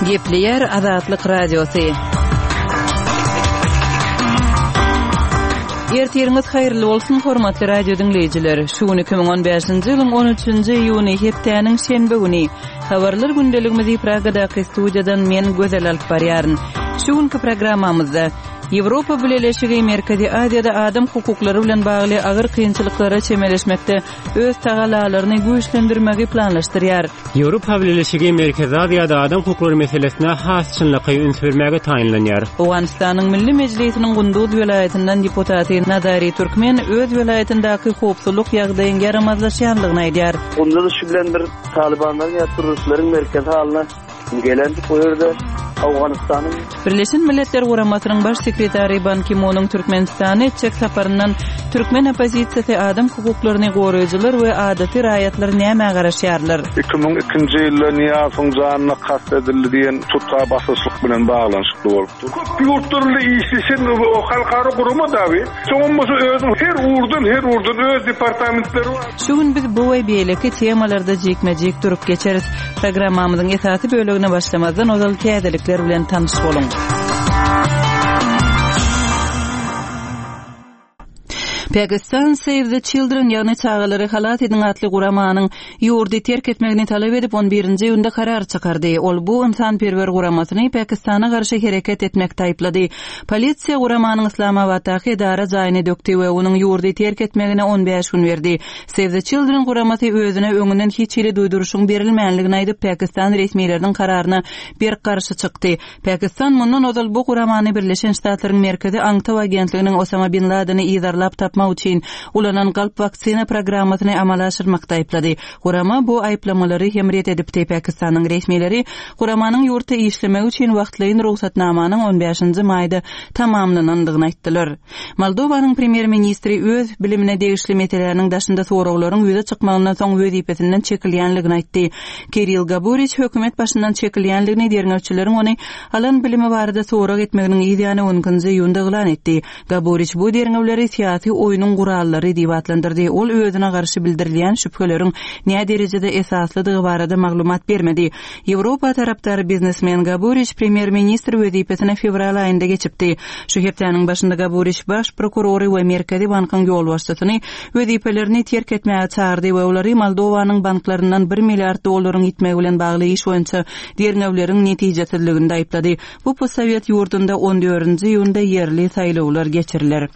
Gepleýär Azatlyk Radiosy. Ertiriňiz haýyrly bolsun, hormatly radio diňleýjiler. Şu gün 2015-nji ýylyň 13-nji iýuny, hepdäniň şenbe güni. Habarlar gündeligimizi Pragadaky studiýadan men Gözel alyp barýaryn. Şu günki programmamyzda Ýewropa Bileleşigi Merkezi Aziýada adam hukuklary bilen bagly agyr kynçylyklara çemeleşmekde öz tagallalaryny güýçlendirmegi planlaşdyrýar. Ýewropa Bileleşigi Merkezi Aziýada adam hukuklary meselesine has çynlakaý üns bermäge taýynlanýar. Owganystanyň Milli Mejlisiniň Gunduz welaýatyndan deputaty Nazari Türkmen öz welaýatyndaky howpsuzlyk ýagdaýyň ýaramazlaşýanlygyny aýdýar. Gunduz şu bilen bir Talybanlaryň ýa terroristleriň merkezi halyna gelendik bu ýerde Owganystanyň Birleşen Milletler Guramasynyň Baş sekretary Ban Ki-munyň Türkmenistana etjek saparyndan türkmen oppozisiýasy, adam hukuklaryny goraýjylar we adaty raýatlar nämä garaşýarlar? 2002-nji ýylda Nyýazowyň janyna kast edildi diýen tutga basyşlyk bilen baglanyşykly bolupdyr. Köp ýurtlar bilen işleşen halkara gurama dagy. Soňam bolsa özüniň her ugurdan, her ugurdan öz departamentleri bar. Şu gün biz bu we beýleki temalarda jikme-jik durup geçeris. Programmamyzyň esasy bölegine başlamazdan ozal täzelikler bilen tanyş boluň. Pakistan Save the Children, ýagny Çagalary halas ediň atly guramanyň ýurdy terk etmegini talap edip, on birinji iýunda karar çykardy. Ol bu ynsanperwer guramasyny Pakistana garşy hereket etmekde aýyplady. Polisiýa guramanyň Yslamabatdaky edara jaýyny dökdi we onuň ýurdy terk etmegine on bäş gün berdi. Save the Children guramasy özüne öňünden hiç hili duýduryşyň berilmänligini aýdyp, pakistan resmileriniň kararyna berk garşy çykdy. Pakistan mundan ozal bu guramany Birleşen Ştatlaryň Merkezi aňtaw agentliginiň Osama bin Ladeni yzarlap tapmak üçin ulanan galp waksina programmasyny amala aşyrmakda aýyplady. Gurama bu aýyplamalary hem ret edipdi. Pakistanyň resmileri guramanyň ýurtda işlemegi üçin wagtlaýyn rugsatnamanyň on bäşinji maýda tamamlanandygyny aýtdylar. Moldowanyň premýer-ministri öz bilimine degişli meseläniň daşynda soraglaryň ýüze çykmagyndan soň wezipesinden çekilýänligini aýtdy. Kirill Gaburiç hökümet başyndan çekilýänligini derňewçileriň ony alan bilimi barada sorag etmeginiň yz ýany on ikinji iýunda yglan etdi. Gaburiç bu derňewleri syýasy oýnuň gurallary diýip atlandyrdy. Ol özüne garşy bildirilýän şübheleriň näderejede esaslydygy barada maglumat bermedi. Ýewropa tarapdary biznesmen Gaburiç premýer-ministr wezipesine fewral aýynda geçipdi. Şu hepdäniň başynda Gaburiç baş prokurory we Merkezi bankyň ýolbaşçysyny wezipelerini terk etmäge çagyrdy we olary Moldowanyň banklaryndan bir milliard dollaryň ýitmegi bilen bagly iş boýunça derňewleriň netijesizliginde aýyplady. Bu postsowet ýurdunda on dördünji iýunda ýerli saýlawlar geçiriler.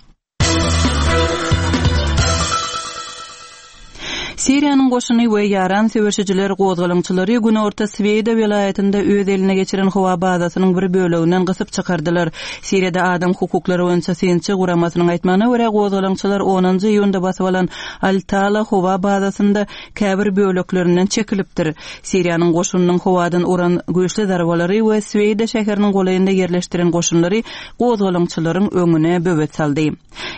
Siriýanyň goşuny we ýaran söweşijiler gozgalaňçylary günorta Sweýda welaýatynda öz eline geçiren howa bazasynyň bir böleginden gysyp çykardylar. Siriýada adam hukuklary boýunça synçy guramasynyň aýtmagyna görä, gozgalaňçylar onunjy iýunda basyp alan Al-Tala howa bazasynda käbir böleklerinden çekilipdir. Siriýanyň goşunynyň howadan uran güýçli zarbalary we Sweýda şäheriniň golaýynda ýerleşdiren goşunlary gozgalaňçylaryň öňüne böwet saldy.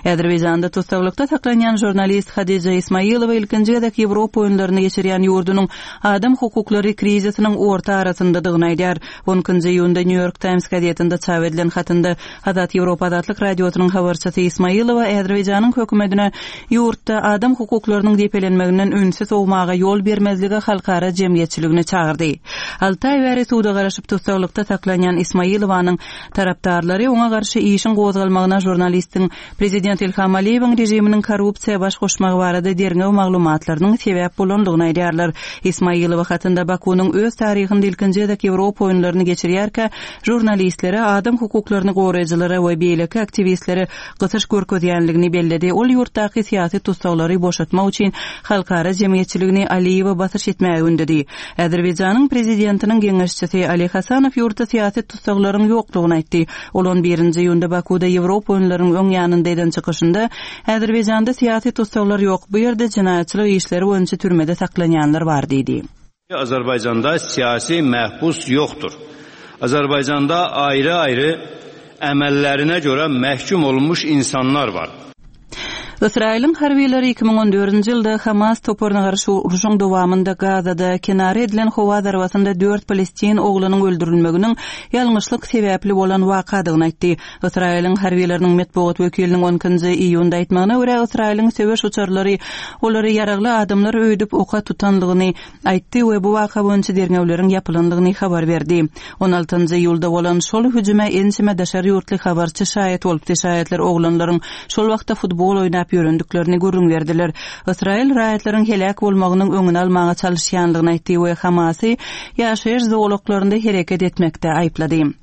Azerbaýjanda tussaglykda saklanýan žurnalist Hadija Ismaýylowa ilkinji gezek Ýewropa oýunlaryny geçirýän ýurdunyň adam hukuklary krizisiniň orta arasyndadygyny aýdýar. On ikinji iýunda New York Times gazetinde çap edilen hatynda Azat Ýewropa Azatlyk Radiosynyň habarçysy Ismaýylowa Azerbaýjanyň hökümetine ýurtda adam hukuklarynyň depelenmeginden ünsi sowmaga ýol bermezlige halkara jemgyýetçiligini çagyrdy. Alty aý bäri suda garaşyp tussaglykda saklanýan Ismaýylowanyň Tarapdarlary oňa garşy işiň gozgalmagyna žurnalistiň prezident Ilham Aliýewiň režiminiň korrupsiýa baş goşmagy barada derňew maglumatlarynyň sebäp bolandygyny aýdýarlar. Ismaýylowa hatynda Bakunyň öz taryhynda ilkinji gezek Ýewropa oýunlaryny geçirýärkä žurnalistlere, adam hukuklaryny goraýjylara we beýleki aktiwistlere gysyş görkezýänligini belledi. Ol ýurtdaky syýasy tussaglary boşatmak üçin halkara jemgyýetçiligini Aliýewe basyş etmäge ündedi. Azerbaýjanyň prezidentiniň geňeşçisi Ali Hasanow ýurtda syýasy tussaglaryň ýokdugyny aýtdy. Ol on birinji iýunda Bakuda Ýewropa oýunlarynyň öň ýanynda eden çykyşynda, Azerbaýjanda syýasy tussaglar ýok, bu ýerde jenaýatçylyk işleri boýunça türmede saklanýanlar bar diýdi. Azerbaýjanda syýasy mahbus ýokdur. Azerbaýjanda aýry-aýry emellerine görä mahkum olunmuş insanlar bar. Ysraýylyň harbylary 2014-nji ýylda Hamas toparyna garşy urşuň dowamynda Gazada kenara edilen howa zarbasynda dört palestin oglunyň öldürilmeginiň ýalňyşlyk sebäpli bolan wakadygyny aýtdy. Ysraýylyň harbylarynyň metbugat wekiliniň on ikinji iýunda aýtmagyna görä, Ysraýylyň söweş uçarlary olary ýaragly adamlar öýdüp oka tutanlygyny aýtdy we bu waka boýunça derňewleriň ýapylandygyny habar berdi. On altynjy iýulda bolan şol hüjüme ençeme daşary ýurtly habarçy şaýat bolupdy, şaýatlar oglanlaryň şol wagtda futbol oýnap ýörendiklerini gürrüň berdiler. Ysraýyl raýatlaryň heläk bolmagynyň öňüni almaga çalyşýandygyny aýtdy we Hamasy ýaşaýyş zolaklarynda hereket etmekde aýyplady.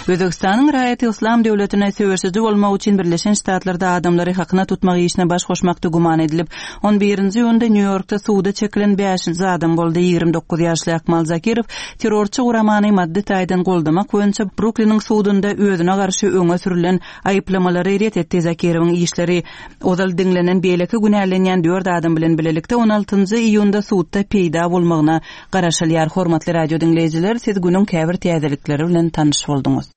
Özbegistanyň raýaty Yslam döwletine söweşiji bolmak üçin Birleşen Ştatlarda adamlary hakyna tutmak işine baş goşmakda güman edilip, on birinji iýunda Nýu-Ýorkda suda çekilen bäşinji adam boldy. 29 ýaşly Akmal Zakirow terrorçy guramany maddy taýdan goldamak boýunça Brukliniň sudunda özüne garşy öňe sürülen aýyplamalary ret etdi. Zakirowyň işleri ozal diňlenen beýleki günälenýän dört adam bilen bilelikde on altynjy iýunda sudda peýda bolmagyna Garaşylýar hormatly radio diňleýjiler siz günüň käbir täzelikleri bilen tanyş bolduňyz.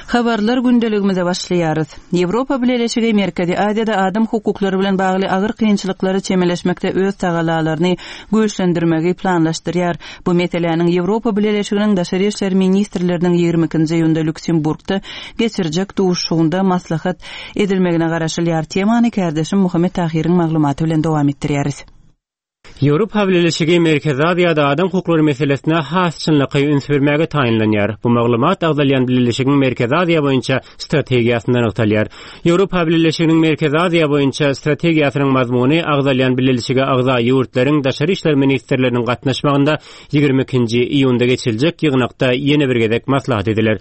Habarlar gündeligimize başlaýarys. Ýewropa Bileleşigi Merkezi Aziýada adam hukuklary bilen bagly agyr kynçylyklara çemeleşmekde öz tagalalaryny güýçlendirmegi planlaşdyrýar. Bu meseläniň Ýewropa Bileleşiginiň daşary işler ministrleriniň 22-nji iýunda Lýuksemburgda geçirjek duşuşygynda maslahat edilmegine garaşylýar. Temany kärdeşim Muhammet Tahyryň maglumaty bilen dowam etdirýäris. Ýewropa Bileleşigi Merkezi Aziýada adam hukuklary meselesine has çynlakaý üns bermäge taýynlanýar. Bu maglumat agzalýan bileleşigiň Merkezi Aziýa boýunça strategiýasynda nygtalýar. Ýewropa Bileleşiginiň Merkezi Aziýa boýunça strategiýasynyň mazmuny agzalýan bileleşige agza ýurtlaryň daşary işler ministrleriniň gatnaşmagynda 22-nji iýunda geçiriljek ýygnakda ýene bir gezek maslahat ediler.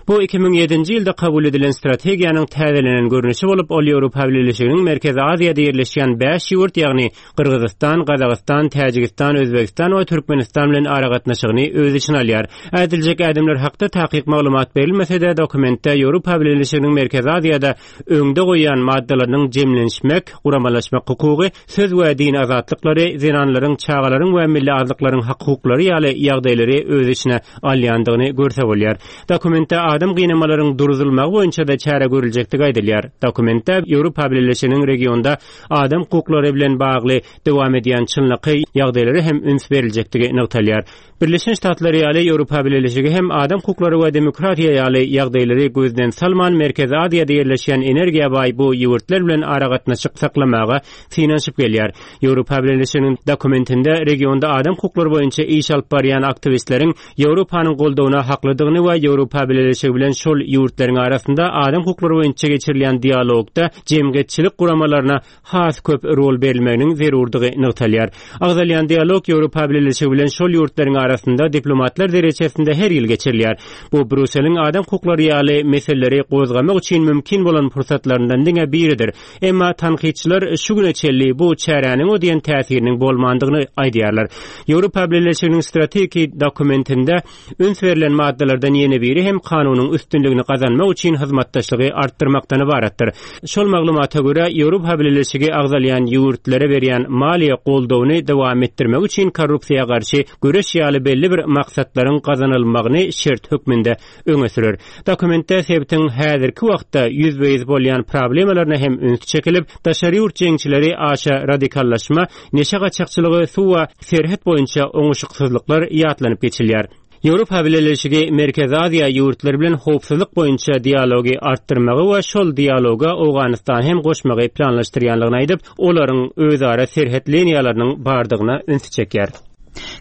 Bu 2007-nji ýylda kabul edilen strategiýanyň täzelenen görnüşi bolup, ol Ýewropa Bileleşiginiň Merkezi Aziýada ýerleşýän bäş ýurt, ýagny Gyrgyzystan, Gazagystan, Täjigistan, Özbegistan we Türkmenistan bilen aragatnaşygyny öz içine alýar. Ädiljek ädimler hakda takyk maglumat berilmese-de, dokumentde Ýewropa Bileleşiginiň Merkezi Aziýada öňde goýýan maddalarynyň jemlenişmek, guramalaşmak hukugy, söz we din azatlyklary, zenanlaryň, çagalaryň we milli azlyklaryň hak-hukuklary ýaly ýagdaýlary öz içine alýandygyny görse bolýar. Dokumentde adam gynamalaryň duruzylmagy boýunça-da çäre görüljekdigi aýdylýar. Dokumentde Ýewropa Bileleşiginiň regionda adam hukuklary bilen bagly dowam edýän çynlakaý ýagdaýlara hem üns beriljekdigi nygtalýar. Birleşen Ştatlar ýaly Ýewropa Bileleşigi hem adam hukuklary we demokratiýa ýaly ýagdaýlary gözden salman Merkezi Aziýada ýerleşýän energiýa baý bu ýurtlar bilen aragatnaşyk saklamaga synanyşyp gelýär. Ýewropa Bileleşiginiň dokumentinde regionda adam hukuklary boýunça iş alyp barýan aktiwistleriň Ýewropanyň goldawyna haklydygyny we Ýewropa Bileleşigi bilen şol ýurtlaryň arasynda adam hukuklary boýunça geçirilýän dialogda jemgyýetçilik guramalaryna has köp rol berilmeginiň zerurdygy nygtalýar. Agzalýan dialog Ýewropa Bileleşigi bilen şol ýurtlaryň arasynda diplomatlar derejesinde her ýyl geçirilýär. Bu Brýusseliň adam hukuklary ýaly meseleleri gozgamak üçin mümkin bolan pursatlaryndan diňe biridir. Emma tankytçylar şu güne çenli bu çäräniň o diýen täsiriniň bolmandygyny aýdýarlar. Ýewropa Bileleşiginiň strategiki dokumentinde Üns berlen maddalardan ýene biri hem kanunyň üstünligini gazanmak üçin hyzmatdaşlygy artdyrmakdan ybaratdyr. Şol maglumata görä, Ýewropa Bileleşigi agzalýan ýurtlara berýän maliýe goldawyny dowam etdirmek üçin korrupsiýa garşy göreş ýaly belli bir maksatlaryň gazanylmagyny şert hökmünde öňe sürer. Dokumentde sebitiň häzirki wagtda ýüzbe-ýüz bolýan problemalaryna hem üns çekilip, daşary ýurt jeňçileri aşa radikallaşma, Neşe gaçakçylygy, suw we serhet boýunça oňuşyksyzlyklar ýatlanyp geçilýär. Ýewropa Bileleşigi Merkezi Aziýa ýurtlary bilen howpsuzlyk boýunça dialogy artdyrmagy we şol dialoga Owganystany hem goşmagy planlaşdyrýanlygyny aýdyp, olaryň özara serhet liniýalarynyň bardygyna ünsi çekýär.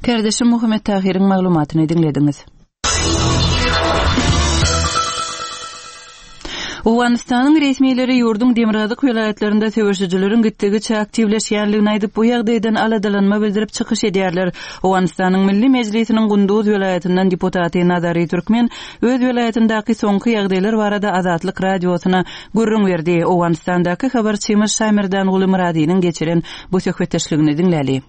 Kärdeşim Muhammet Tahyryň maglumatyny diňlediňiz. Owganystanyň resmileri ýurduň demirgazyk welaýatlarynda söweşijileriň gitdigiçe aktiwleşýänligini aýdyp, bu ýagdaýdan aladalanma bildirip çykyş edýärler. Owganystanyň Milli Mejlisiniň Gunduz welaýatyndan deputaty Nazary Türkmen öz welaýatyndaky soňky ýagdaýlar barada Azatlyk Radiosyna gürrüň berdi. Owganystandaky habarçymyz Şamerdanguly Myradynyň geçiren bu söhbetdeşligini diňläli.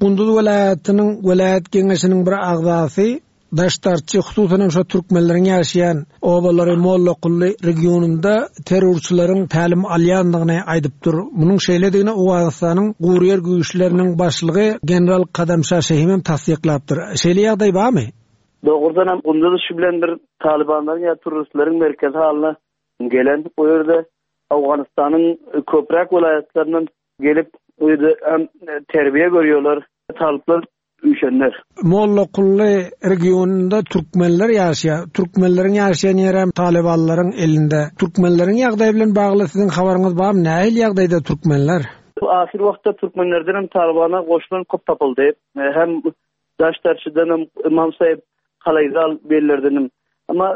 Gunduz welaýatynyň welaýat geňeşiniň bir agzasy Daşdarçy, hususan hem şo türkmenleriň ýaşaýan obalary Mollakully regionynda terrorçylaryň tälim alýandygyny aýdypdyr. Munuň şeýledigini Owganystanyň guryýer güýçleriniň başlygy general Kadamşa Şehim hem tassyklapdyr. Şeýle ýagdaý barmy? Dogrudan hem Gunduz şu bilen bir talybanlaryň ýa turristleriň merkezi halyna gelen. O ýerde Owganystanyň köpräk welaýatlaryndan gelip o ýerde hem terbiýe görýärler. Talyplar üýşenler. Mollakully regionynda türkmenler ýaşaýar. Türkmenleriň ýaşaýan ýeri hem talybanlaryň elinde. Türkmenleriň ýagdaýy bilen bagly siziň habaryňyz barmy? Nähili ýagdaýda türkmenler? Ahyr wagtda türkmenlerden hem talybana goşulan köp tapyldy. Hem Daşdarçydan hem Ymam Saýyp Kalaýzal bellerden hem. Emma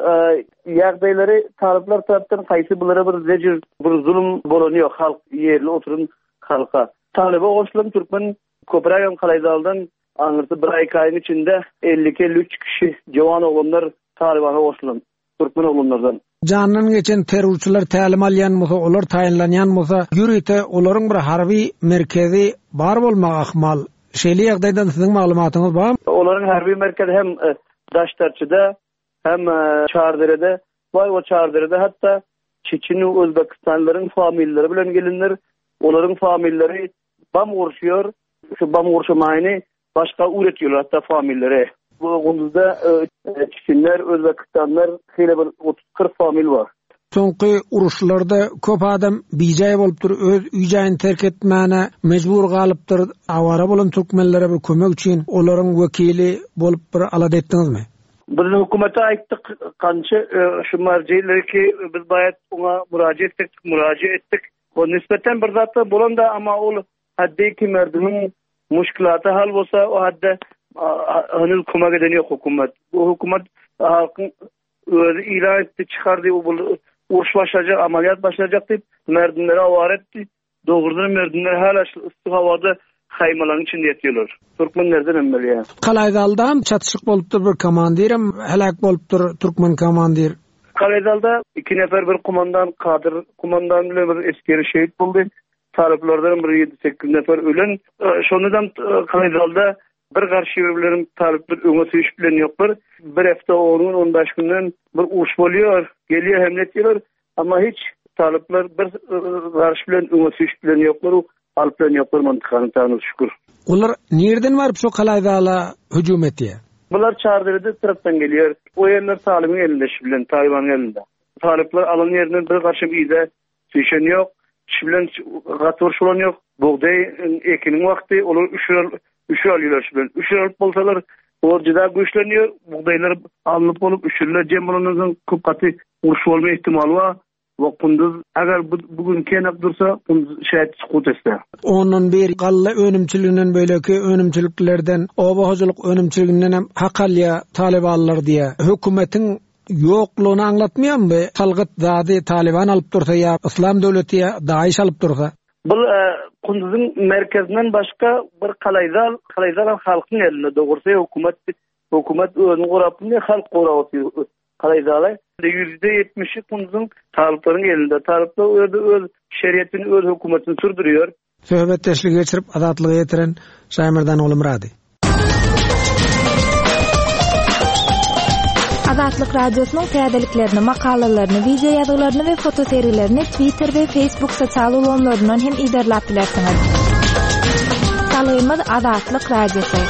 ýagdaýlary talyplar tarapdan haýsy bulara bir zejir, bir zulum bolany ýok halk ýerli oturan halka. Talyba goşulan türkmen Köprägem Kalaýzaldan aňyrsy bir aý-iki aýyň içinde 52-53 kişi jowan oglanlar Talybana goşulan, türkmen oglanlardan. Jandan geçen terrorçylar tälim alýan bolsa, olar taýynlanýan bolsa, ýörite olaryň bir harby merkezi bar bolmagy ahmal. Şeýle ýagdaýdan siziň maglumatyňyz barmy? Olaryň harby merkezi hem Daştarçyda, hem Çarderede bar. O Çarderede hatda çeçen we özbekistanlylaryň familiýalary bilen gelinler. Olaryň familiýalary Bam gurşuýar. Şu bam gurşamaýyny başga üwretýärler hatda familleri. Bu Gunduzda çiçinler, özbekistanlar şeýle bir otuz-kyrk famil bar. Soňky uruşlarda köp adam bijaý bolupdyr, öz öý-jaýyny terk etmäne mejbur galypdyr. Awara bolan türkmenlere bir kömek üçin olaryň wekili bolup bir alada etdiňizmi? Biz hökümete aýtdyk, kança şu marjiliki biz baýat oňa muraja etdik, muraja etdik. O nispeten bir zatlar bolanda amma ol hadde ki merdimiň muşkilaty hal bolsa o hadde henüz kömek eden ýok hökümet. Bu hökümet halkyň özi ilan etdi, çykardy bu uruş başlajak, amaliyat başlajak diýip merdimleri awara etdi. Dogrudan merdimler hala şu yssy howada haýmalaryň içinde ýatýarlar. Türkmenlerden hem bilýän. Kalaýzaldam çatyşyk bolupdyr bir komandirem heläk bolupdyr türkmen komandir. Kalaýzalda iki nefer bir kumandan Kadyr kumandan bilen bir esgeri şehit boldy. Talyplardan bir ýedi-sekiz nefer ölen. Şonda-da Kalaýzalda bir garşy bilen talyplar öňe süýşüp bilen ýoklar. Bir hepde on gün, on bäş günden bir uruş bolýar. Gelýär hemle etýärler. Amma hiç talyplar bir garşy bilen öňe süýşüp bilen ýoklar. Alyp bilen ýoklar mantykany Taňra şükür. Olar nirden baryp şo Kalaýzala hüjüm etýär? Bular Çarderede tarapdan gelýär. O ýerler Talybyň elinde şu bilen, Talybanyň elinde. Talyplar alan ýerinden bir garşam yza süýşen ýok. Şu bilen gaty uruş bolan ýok. Bugdaý ekiniň wagty, olar üşür üşür alýarlar şu bilen. Üşür alyp bolsalar, olar juda güýçlenýär. Bugdaýlar alnyp bolup, üşürler jem bolandan soň köp gaty uruş bolma ihtimaly bar. We Kunduz agar bu bu gün kenak dursa Kunduz şaýat sukut etse. Ondan bir galla önümçiliginden beýleki önümçiliklerden, oba hojalyk önümçiliginden hem hak alýar talybanlar diýýär. Hökümetiň ýoklugyny aňlatmaýarmy bu? Salgyt zady talyban alyp dursa ýa Yslam döwleti ýa DAIŞ alyp dursa. Bul Kunduzyň merkezinden başga bir kalaýzal, kalaýzal hem halkyň elinde dogrusy hökümet hökümet özüni gorap bilmeýär halk gorap otyr. Kalaýzala ýüzde ýetmişi Kunduzyň talyplaryň elinde. Talyplar o ýerde öz şeriatini, öz hökümetini sürdürýär. Söhbetdeşligi geçirip Azatlyga ýetiren Şaýmerdan Ogulmyrady. Azatlyk Radiosynyň täzeliklerini, makalalaryny, wideo ýazgylaryny we fotosergilerini Twitter we Facebook sosial ulgamlaryndan hem yzarlap bilersiňiz. Salgymyz Azatlyk Radiosy.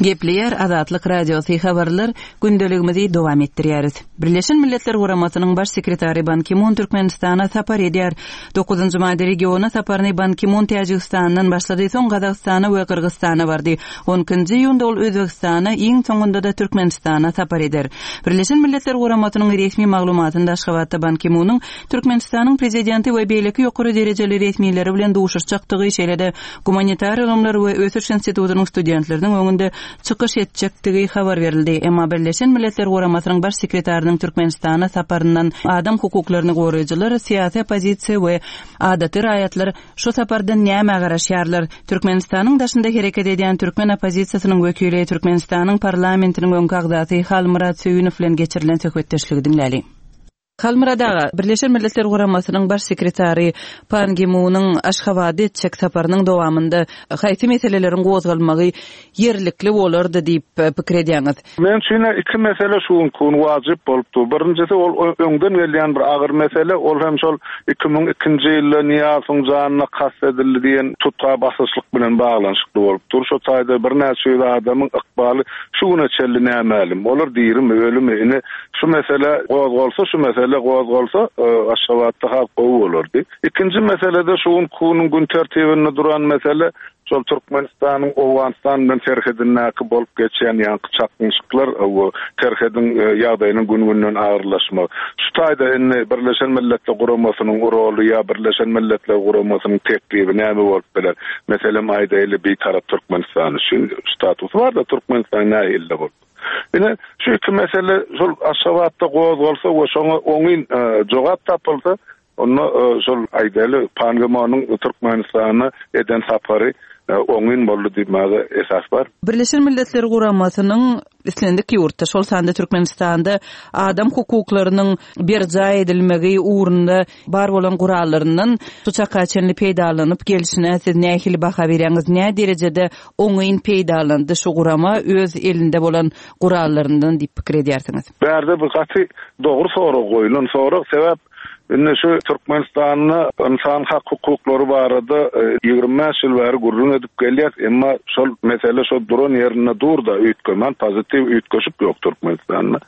Gepleýär Azatlyk Radiosy habarlar gündeligimizi dowam etdirýäris. Birleşen Milletler Guramasynyň Baş sekretary Ban Ki-mun Türkmenistana sapar edýär. Dokuzynjy maýda regiona saparyny Ban Ki-mun Täjigistandan başlady, soň Gazagystana we Gyrgyzystana bardy. On ikinji iýunda ol Özbegistana, iň soňunda-da Türkmenistana sapar eder. Birleşen Milletler Guramasynyň resmi maglumatynda Aşgabatda Ban Ki-munyň Türkmenistanyň Prezidenti we beýleki ýokary derejeli resmileri bilen duşuşjakdygy, şeýle-de Gumanitar ylymlar we ösüş institutynyň studentleriniň öňünde çykyş etjekdigi habar berildi. Emma Birleşen Milletler Guramasynyň Baş sekretarynyň Türkmenistana saparyndan adam hukuklaryny goraýjylar, syýasy oppozisiýa we adaty raýatlar şu sapardan nämä garaşýarlar? Türkmenistanyň daşynda hereket edýän türkmen oppozisiýasynyň wekili, Türkmenistanyň parlamentiniň öňki agzasy Halmyrat Söýünow bilen geçirilen söhbetdeşligi diňläliň. Halmyrat aga, Birleşen Milletler Guramasynyň Baş sekretary Pan Gi Munyň Aşgabada etjek saparynyň dowamynda haýsy meseleleriň gozgalmagy ýerlikli bolardy diýip pikir edýäňiz? Meň üçin-ä iki mesele şu günki gün wajyp bolup dur. Birinjisi ol öňden gelýän bir agyr mesele, ol hem şol 2002-nji ýylda Nyýazowyň janyna kast edildi diýen tutga basyşlyk bilen baglanyşykly bolup dur. Şo taýda birnäçe ýüz adamyň ykbaly şu güne çenli nämälim. Olar dirimi, ölümi? Ine, şu mesele gozgalsa, şu mesele gozgalsa, Aşgabatda has gowy bolardy. Ikinji mesele-de şu günki günüň gün tertibinde duran mesele, Şol Türkmenistanyň Owganystan bilen serhedindäki bolup geçýän ýaňky çaknyşyklar we serhediň ýagdaýynyň gün-günden agyrlaşmagy. Şu taýda indi Birleşen Milletler Guramasynyň roly ýa Birleşen Milletler Guramasynyň teklibi näme bolup biler? Meselem aýdaýly Bitarap Türkmenistan üçin statusy bar-da Türkmenistan nähili bolup. Ine şu iki mesele şol Aşgabatda gozgalsa we şoňa oňyn jogap tapylsa Onda şol aýdaly Pan Gi Monyň Türkmenistana eden sapary oňyn boldy diýmäge esas bar. Birleşen Milletler Guramasynyň islendik ýurtda, şol sanda Türkmenistanda adam hukuklarynyň berjaý edilmegi ugrunda bar bolan gurallaryndan şu çaka çenli peýdalanyp gelşine siz nähili baha berýäňiz? Nä derejede oňyn peýdalandy şu gurama öz elinde bolan gurallaryndan diýip pikir edýärsiňiz? Bärde bu gaty dogry sorag goýlan sorag, sebäp Indi şu Türkmenistanda ynsan hak-hukuklary barada 25 ýyl bäri gürrüň edip gelýäs, emma şol mesele şo duran ýerinde dur-da, üýtgemän, pozitiw üýtgeşik ýok Türkmenistanda.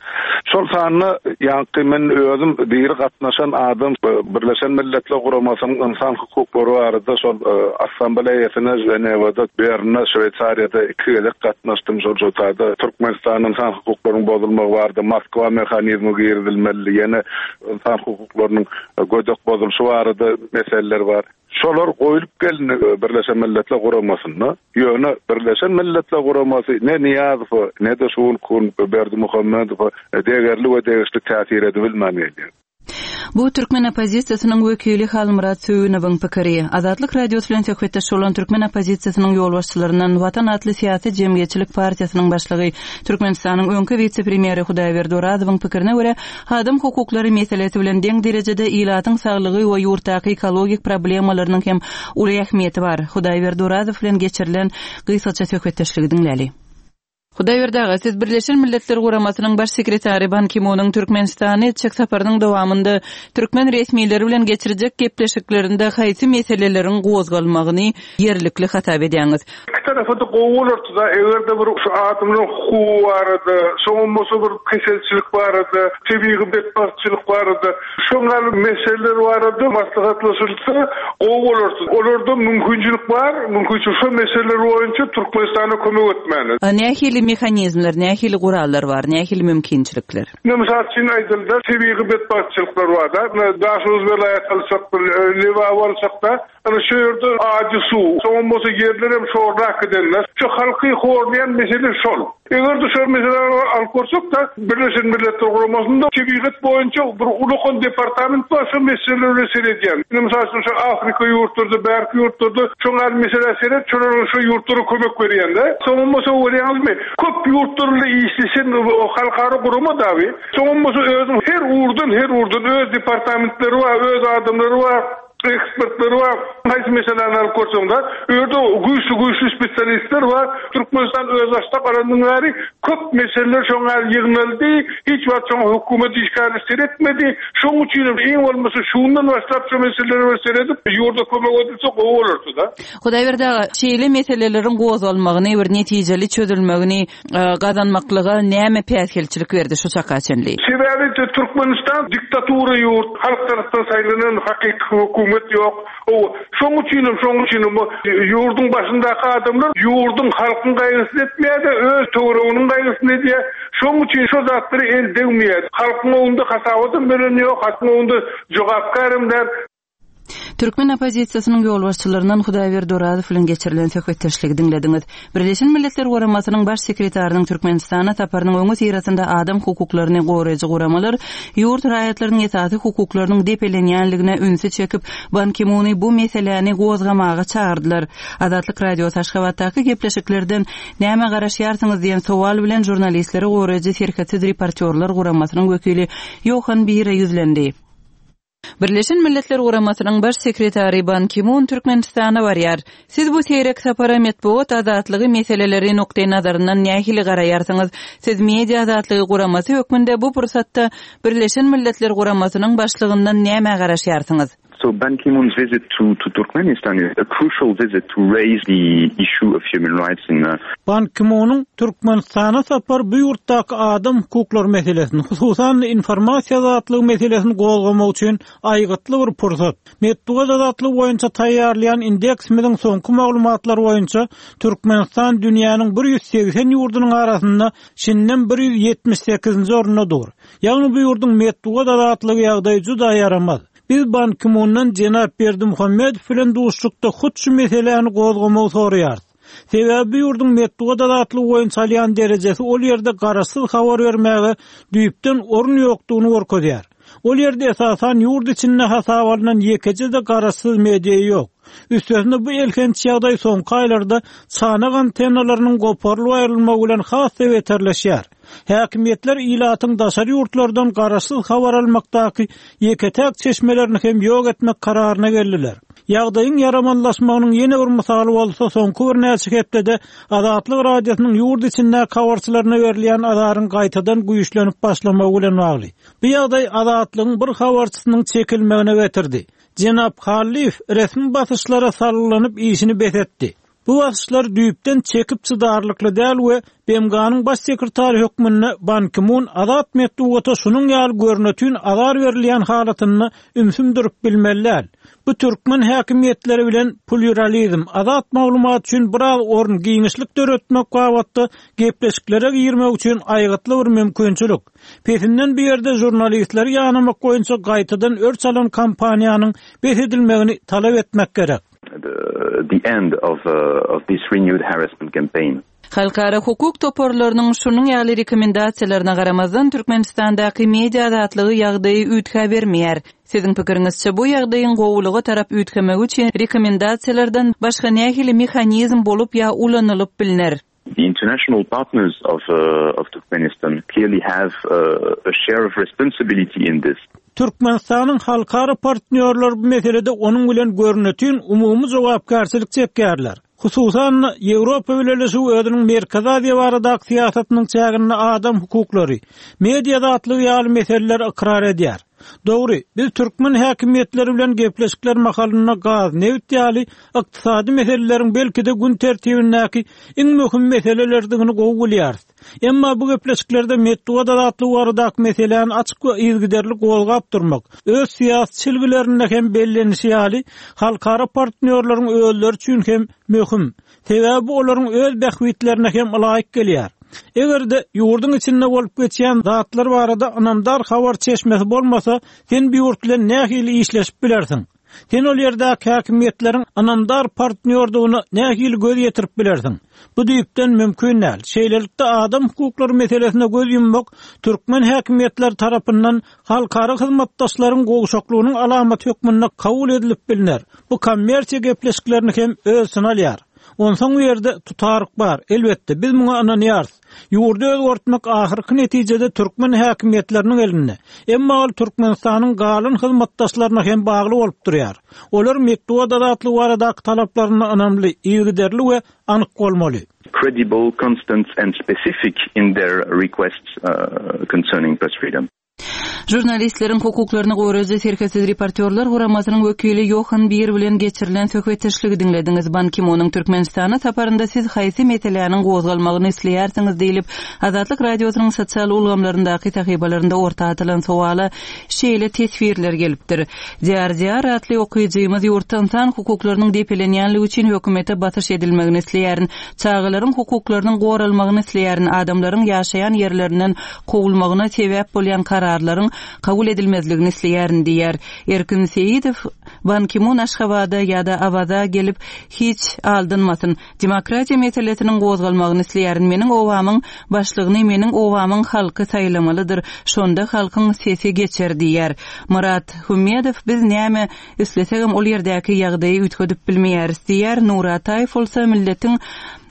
Şol sanda ýaňky men özüm diri gatnaşan adam Birleşen Milletler Guramasynyň ynsan hukuklary barada şol Assambleýasyna Ženewada, Bernde, Şweýsariýada iki gezek gatnaşdym. Şol şo taýda Türkmenistanda ynsan hukuklarynyň bozulmagy barada Moskwa mehanizmi girizilmeli, ýene ynsan hukuklarynyň gödek bozulyşy barada meseleler bar. Şolar goýlup gelindi Birleşen Milletler Guramasynda. Ýöne Birleşen Milletler Guramasy ne Nyýazowa, ne-de şu günki gün Berdimuhamedowa degerli we degişli täsir edibilmän gelýär. Bu türkmen oppozisiýasynyň wekili Halmyrat Söýünowyň pikiri. Azatlyk Radiosy bilen söhbetdeş bolan türkmen oppozisiýasynyň ýolbaşçylaryndan Watan atly syýasy-jemgyýetçilik partiýasynyň başlygy, Türkmenistanyň öňki wise-premýeri Hudaýberdi Orazowyň pikirine görä, Adam hukuklary meselesi bilen deň derejede ilatyň saglygy we ýurtdaky ekologik problemalarynyň hem uly ähmiýeti bar. Hudaýberdi Orazow bilen geçirilen gysgaça söhbetdeşligi diňläli. Hudaýberdi aga, siz Birleşen Milletler Guramasynyň Baş sekretary Ban Ki-munyň Türkmenistana etjek saparynyň dowamynda türkmen resmileri bilen geçirjek gepleşiklerinde haýsy meseleleriň gozgalmagyny ýerlikli hasap edýäňiz? Iki tarapa-da gowy bolardy-da, eger-de bir şu adamlaryň hukugy barada, soňam bolsa bir keselçilik barada, tebigy betbagtçylyk barada, şoň ýaly meseleler barada maslahatlaşylsa gowy bolardy. Olarda mümkinçilik bar, mümkinçilik şo meseleler boýunça Türkmenistana kömek etmäne. Nähili mehanizmler, nähili gurallar bar, nähili mümkinçilikler? Ine, mysal üçin aýdylda, tebigy betbagtçylyklar bar-da, Daşoguz welaýaty alsak, Lebaby alsak-da, Ana şu ýerde ajy suw, soňam bolsa ýerlerem şorlap gidenler. Şu halky horlaýan mesele şol. Eger-de şol meseläni alyp görsek-de, Birleşen Milletler Guramasynda tebigat boýunça bir ulakan departament bar, şo meseleler bilen seredýän. Ine, mysal üçin, şu Afrika ýurtlarda, bärki ýurtlarda şoň ýaly meselä seret, şolara şo ýurtlara kömek berýän-de. Soňam bolsa görýäňizmi, köp ýurtlar bilen işleşen halkara gurama dagy. Soňam bolsa özüniň her ugurdan, her ugurdan öz departamentleri bar, öz adamlary bar. Ekspertler bar. Haýsy meseläni alyp görseň-de, u ýerde güýçli-güýçli spesialistler bar. Türkmenistan özbaşdak alandan bäri köp meseleler şoň ýaly ýygnaldy. Hiç wagt şoňa hökümet işgärleri seretmedi. Şoň üçin hem iň bolmasa şu günden başlap şu meselelere bir seredip, ýurda kömek edilse gowy bolardy-da. Hudaýberdi aga, şeýle meseleleriň gozgalmagyny, bir netijeli çözülmegini gazanmaklyga näme päsgelçilik berdi şu çaka çenli? Sebäbi Türkmenistan diktatura ýurt, halk tarapdan saýlanan hakyky hökümet ýok. Hawa, şoň üçinem, şoň üçinem bu ýurduň başyndaky adamlar ýurduň, halkyň gaýgysyny etmeýär-de, öz töwereginiň gaýgysyny edýär. Şoň üçin şo zatlara el degmeýär. Halkyň öňünde hasabatam beren ýok, halkyň öňünde jogapkärem däl. Türkmen oppozisiýasynyň ýolbaşçylaryndan Hudaýberdi Orazow bilen geçirilen söhbetdeşligi diňlediňiz. Birleşen Milletler Guramasynyň Baş sekretarynyň Türkmenistana saparynyň öňüsyrasynda adam hukuklaryny goraýjy guramalar ýurt raýatlarynyň esasy hukuklarynyň depelenýänligine ünsi çekip, Ban Ki-muny bu meseläni gozgamaga çagyrdylar. Azatlyk Radiosy Aşgabatdaky gepleşiklerden nämä garaşýarsyňyz diýen sowal bilen žurnalistleri goraýjy Serhetsiz reportýorlar guramasynyň wekili Ýohan Bire ýüzlendi. Birleşen Milletler Guramasynyň Baş sekretary Ban Ki-mun Türkmenistana barýar. Siz bu seýrek sapara metbugat azatlygy meseleleri nukdaýnazaryndan nähili garaýarsyňyz? Siz Media azatlygy guramasy hökmünde bu pursatda Birleşen Milletler Guramasynyň başlygyndan nämä garaşýarsyňyz? So Ban Ki-moon's visit to to Turkmenistan is a crucial visit to raise the issue of human rights in Ban Ki-munyň Türkmenistana sapary bu ýurtdaky adam hukuklary meselesini, hususan-da informasiýa azatlygy meselesini gozgamak üçin aýgytly bir pursat. Metbugat azatlygy boýunça taýýarlaýan indeksimiziň soňky maglumatlary boýunça Türkmenistan dünýäniň 180 ýurdunyň arasynda şindem 178-nji orunda dur. Ýagny bu ýurduň metbugat azatlygy ýagdaýy juda ýaramaz. Biz Ban Ki-mundan jenap Berdimuhamedow bilen duşuşykda hut şu meseläni gozgamagy soraýarys. Sebäbi bu ýurduň metbugat azatlygy boýunça alýan derejesi ol ýerde garaşsyz habar bermäge düýpden orun ýokdugyny görkezýär. Ol ýerde esasan ýurt içinde hasaba alnan ýekeje-de garaşsyz media ýok. Üstesine bu elhenç ýagdaý soňky aýlarda çanak antennalarynyň goparylyp aýrylmagy bilen has-da beterleşýär. Häkimiýetler ilatyň daşary ýurtlardan garaşsyz habar almakdaky ýeke-täk çeşmelerini hem ýok etmek kararyna geldiler. Ýagdaýyň ýaramazlaşmagynyň ýene bir mysaly bolsa soňky birnäçe hepdede Azatlyk Radiosynyň ýurt içindäki habarçylaryna berilýän azaryň gaýtadan güýçlenip başlamagy bilen bagly. Bu ýagdaý Azatlygyň bir habarçysynyň çekilmegine getirdi. Jenap Hallyýew resmi basyşlara salgylanyp işini bes etdi. Bu basyşlar düýpden çekip çydarlykly däl we BMG-niň Baş sekretary hökmünde Ban Ki-mun azat metbugata şunuň ýaly görnetin azar berilýän halatynda ümsüm durup bilmeli däl. Bu türkmen häkimiýetleri bilen plýuralizm, azat maglumat üçin biraz orun, giňişlik döretmek babatda gepleşiklere girmek üçin aýgytly bir mümkinçilik. Pesinden bu ýerde žurnalistleri ýanamak boýunça gaýtadan örç alan kampaniýanyň bes edilmegini talap etmek gerek. the end of of this renewed harassment campaign. Halkara hukuk toparlarynyň şunuň ýaly rekomendasiýalaryna garamazdan, Türkmenistandaky media azatlygy ýagdaýy üýtgäbermeýär. Siziň pikiriňizçe, bu ýagdaýyň gowulyga tarap üýtgemegi üçin rekomendasiýalardan başga nähili mehanizm bolup ýa ulanylyp bilner? The international partners of of Turkmenistan clearly have a share of responsibility in this. Türkmenistanyň halkara partnýorlary bu meselede onuň bilen görnetin umumy jogapkärçilik çekýärler. Hususan-da, Ýewropa Bileleşigi özüniň Merkezi Aziýa baradaky syýasatynyň çäginde adam hukuklary, media azatlygy ýaly meseleleri ykrar edýär. Dogry, biz türkmen häkimiýetleri bilen gepleşikler mahalynda gaz, nebit ýaly ykdysady meseleleriň belki-de gün tertibindäki iň möhüm meselelerdigini gowy bilýäris. Emma bu gepleşiklerde metbugat azatlygy baradaky meseläni açyk we yzygiderli gozgap durmak, öz syýasy çelgilerinde hem bellenişi ýaly, halkara partnýorlaryň özleri üçin hem möhüm. Sebäbi bu olaryň öz bähbitlerine hem ylaýyk gelýär. Eger-de ýurduň içinde bolup geçýän zatlar barada ynamdar habar çeşmesi bolmasa, sen bu ýurt bilen nähili işleşip bilersiň? Sen ol ýerdäki häkimiýetleriň ynamdar partnýordygyna nähili göz ýetirip bilersiň? Bu düýpden mümkin däl. Şeýlelikde, adam hukuklary meselesine göz ýummak türkmen häkimiýetleri tarapyndan halkara hyzmatdaşlaryň gowşaklygynyň alamaty hökmünde kabul edilip bilner. Bu kommersiýa gepleşiklerini hem öz içine alýar. Onsoň bu ýerde tutaryk bar. Elbetde, biz muňa ynanýarys. Ýurdy özgertmek ahyrky netijede türkmen häkimiýetleriniň elinde. Emma ol Türkmenistanyň galan hyzmatdaşlaryna hem bagly bolup durýar. Olar metbugat azatlygy baradaky talaplarynda ynamly, yzygiderli we anyk bolmaly. Credible, constant and specific in their requests concerning press freedom. Žurnalistleriň hukuklaryny goraýjy Serhetsiz reportýorlar guramasynyň wekili Ýohan Bir bilen geçirilen söhbetdeşligi diňlediňiz. Ban Ki-munyň Türkmenistana saparynda siz haýsy meseläniň gozgalmagyny isleýärsiňiz diýlip, Azatlyk Radiosynyň sosial ulgamlaryndaky sahypalarynda orta atylan sowala şeýle teswirler gelipdir. Diýar Diýar atly okyjymyz ýurtda ynsan hukuklarynyň depelenýänligi üçin hökümete basyş edilmegini isleýärin. Çagalaryň hukuklarynyň goralmagyny isleýärin. Adamlaryň ýaşaýan ýerlerinden kowulmagyna sebäp bolýan karar. kararlaryň kabul edilmezligini isleýärin diýýär. Erkin Seýidow Ban Ki-mun Aşgabada ýa-da Awaza gelip hiç aldanmasyn. Demokratiýa meselesiniň gozgalmagyny isleýärin. Meniň obamyň başlygyny meniň obamyň halky saýlamalydyr. Şonda halkyň sesi geçer diýýär. Myrat Hümmedow biz näme islesegem ol ýerdäki ýagdaýy üýtgedip bilmeýäris diýýär. Nury Ataýew bolsa milletiň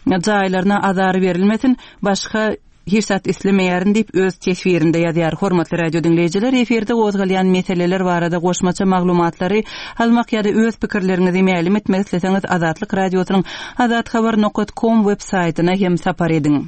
jaýlaryna azar berilmesin, başga hiç zat islemeýärin diýip öz teswirinde ýazýar. Hormatly radio diňleýjiler, efirde gozgalýan meseleler barada goşmaça maglumatlary almak ýa-da öz pikirleriňizi mälim etmek isleseňiz Azatlyk Radiosynyň azathabar nokat kom web saýtyna hem sapar ediň.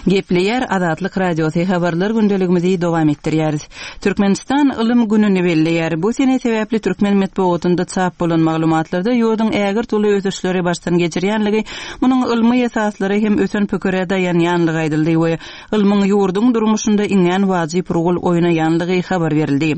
Gepleýär Azatlyk Radiosy habarlar gündeligimizi dowam etdirýäris. Türkmenistan Ylym gününi belleýär. Bu sene sebäpli türkmen metbugatynda çap bolan maglumatlarda ýurduň ägirt uly ösüşleri başdan geçirýänligi, munuň ylmy esaslara hem ösen pikire daýanýanlygy aýdyldy we ylmyň ýurduň durmuşynda iňňän wajyp rol oýnaýanlygy habar berildi.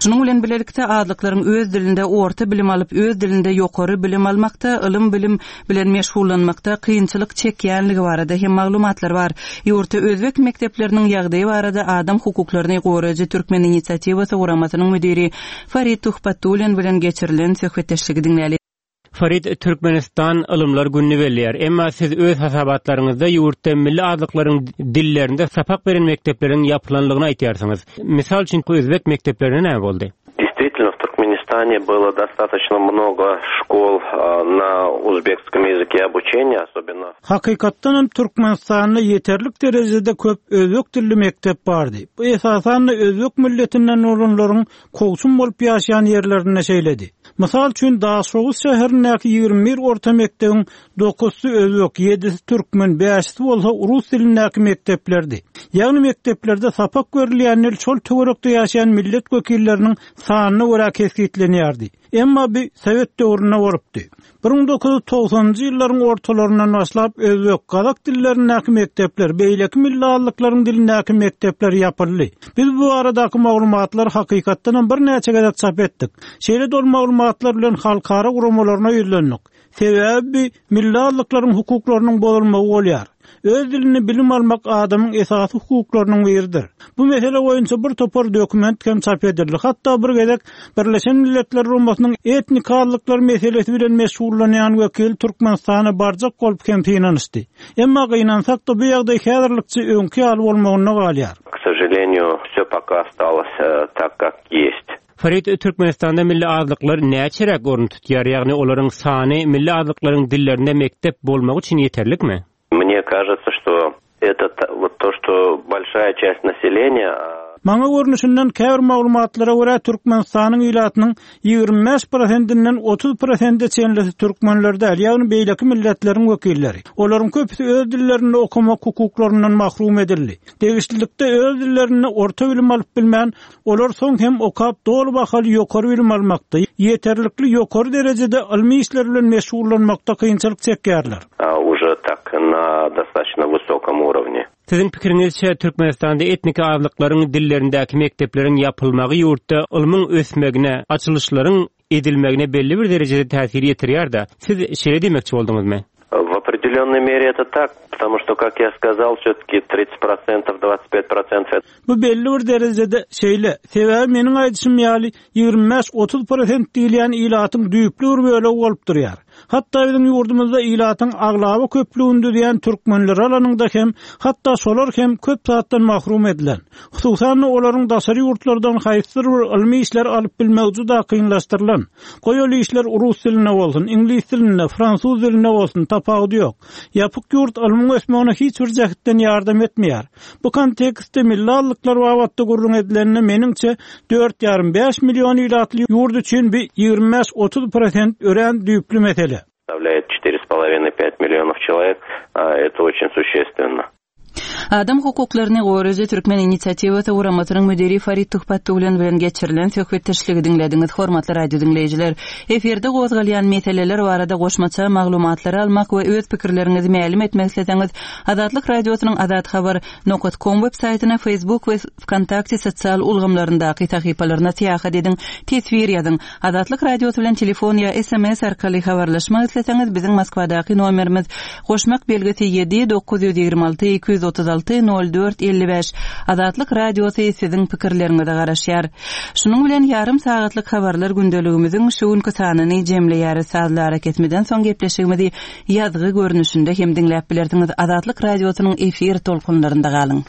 Şunuň bilen bilelikde azlyklaryň öz dilinde orta bilim alyp, öz dilinde ýokary bilim almakda, ylym-bilim bilen meşgullanmakda kynçylyk çekýänligi barada hem maglumatlar bar. Ýurtda özbek mekdepleriniň ýagdaýy barada adam hukuklaryny goraýjy Türkmen inisiatiwasy guramasynyň müdiri Farid Tuhbatullin bilen geçirilen söhbetdeşligi diňläli. Farid, Türkmenistan Ylymlar gününi belleýär. Emma siz öz hasabatlaryňyzda ýurtda milli azlyklaryň dillerinde sapak beren mekdepleriň ýapylanlygyny aýtýarsyňyz. Mysal üçin, özbek mekdeplerine näme boldy? Действительно, в Туркменистане было достаточно много школ на узбекском языке обучения, особенно. Hakykatdan hem Türkmenistanda ýeterlik derejede köp özbek dilli mekdep bardy. Bu esasan-da özbek milletinden bolanlaryň kowçum bolup ýaşaýan ýerlerinde şeýledi. Mysal üçin, Daşoguz şäherindäki 21 orta mekdebiň dokuzsy özbek, ýedisi türkmen, bäşisi bolsa rus dilindäki mekdeplerdi. Ýagny mekdeplerde sapak berilýän dil şol töwerekde ýaşaýan millet wekilleriniň sanyna görä kesgitlenýärdi. Emma bu sowet döwründe bolupdy. 1990-njy ýyllaryň ortalaryndan başlap özbek, gazak dillerindäki mekdepler, beýleki milli azlyklaryň dilindäki mekdepler ýapyldy. Biz bu baradaky maglumatlary hakykatdanam birnäçe gezek çap etdik. Şeýle-de ol maglumatlar bilen halkara guramalaryna ýüzlendik. Sebäbi bi milli azlyklaryň hukuklarynyň bozulmagy bolýar. Öz dilinde bilim almak adamyň esasy hukuklarynyň biridir. Bu mesele boýunça bir topar dokument hem çap edildi. Hatda bir gezek Birleşen Milletler Guramasynyň etnik azlyklar meselesi bilen meşgullanýan wekili Türkmenistana barjak bolup hem synanyşdy. Emma gynansak-da bu ýagdaý häzirlikçe öňki ýaly bolmagynda galýar. K sožaleniýu, wsё poka ostalos tak, kak ýest. Farid, Türkmenistanda milli azlyklar näçeräk orun tutýar, ýagny olaryň sany milli azlyklaryň dillerinde mekdep bolmagy üçin ýeterlikmi? Mne kažется, что это вот to, что bolşaýa çast naseleniýa. Maňa görnüşinden, käbir maglumatlara görä, Türkmenistanyň ilatynyň 25 prosentinden 30 prosente çenlisi türkmenler däl, ýagny beýleki milletleriň wekilleri. Olaryň köpüsi öz dillerinde okamak hukuklaryndan mahrum edildi. Degişlilikde öz dillerinde orta bilim alyp bilmän, Olar soň hem okap doly bahaly ýokary bilim almakda, ýeterlikli ýokary derejede ylmy işler bilen meşgullanmakda kynçylyk çekýärler. Уже tak na dostatoçno wysokom urovne. Siziň pikiriňizçe, Türkmenistanda etniki azlyklaryň dillerindäki mekdepleriň ýapylmagy ýurtda ylmyň ösmegine, açylyşlaryň edilmegine belli bir derejede täsir ýetirýär-dä. Siz şeýle diýmekçi bolduňyzmy? W opredelennoj mere eto tak, potomu çto, kak ýa skazal, wsýo-taki tridtsat prosentow, dwadsat pýat prosentow. Bu belli bir derejede şeýle. Sebäbi meniň aýdyşym ýaly, 25-30 prosent diýilýän ilatyň düýpli bir bölegi bolup durýar. Hatda biziň ýurdumyzda ilatyň aglaba köplügini düzýän türkmenleri alanyňda hem, hatda şolar hem köp zatdan mahrum edilen. Hususan-da, olaryň daşary ýurtlardan haýsydyr bir ylmy işler alyp bilmegi juda kynlaşdyrylan. Goý ol işler rus dilinde bolsun, iňlis dilinde, fransuz dilinde bolsun, tapawudy ýok. Ýapyk ýurt ylmyň ösmegine hiç bir jähtden ýardam etmeýär. Bu kontekstde milli azlyklar babatda gürrüň edilende, meniňçe, dört ýarym-bäş million ilatly ýurt üçin bi 25-30 prosent örän düýpli mesele. Составляет четыре с половиной пять миллионов человек, это очень существенно. Adam hukuklaryny goraýjy Türkmen inisiatiwasy guramasynyň müdiri Farid Tuhbatullin bilen geçirilen söhbetdeşligi diňlediňiz. Hormatly radio diňleýjiler, efirde gozgalýan meseleler barada goşmaça maglumatlary almak we öz pikirleriňizi mälim etmek isleseňiz, Azatlyk Radiosynyň Azathabar. Nokat kom web saýtyna, Facebook we Wkontakte sosial ulgamlaryndaky sahypalaryna syýahat ediň, teswir ýazyň. Azatlyk Radiosy bilen telefon ýa sms arkaly habarlaşmak isleseňiz, biziň Moskwadaky nomerimiz, goşmak belgisi ýedi, 926 236. 6 04 55 Azatlyk Radiosy siziň pikirleriňize garaşýar. Şunuň bilen ýarym sagatlyk habarlar gündeligimiziň şu günki sanyny jemleýäris. Sazly arakesmeden soň gepleşigimizi ýazgy görnüşinde hem diňläp bilersiňiz. Azatlyk Radiosynyň efir tolkunlarynda galyň.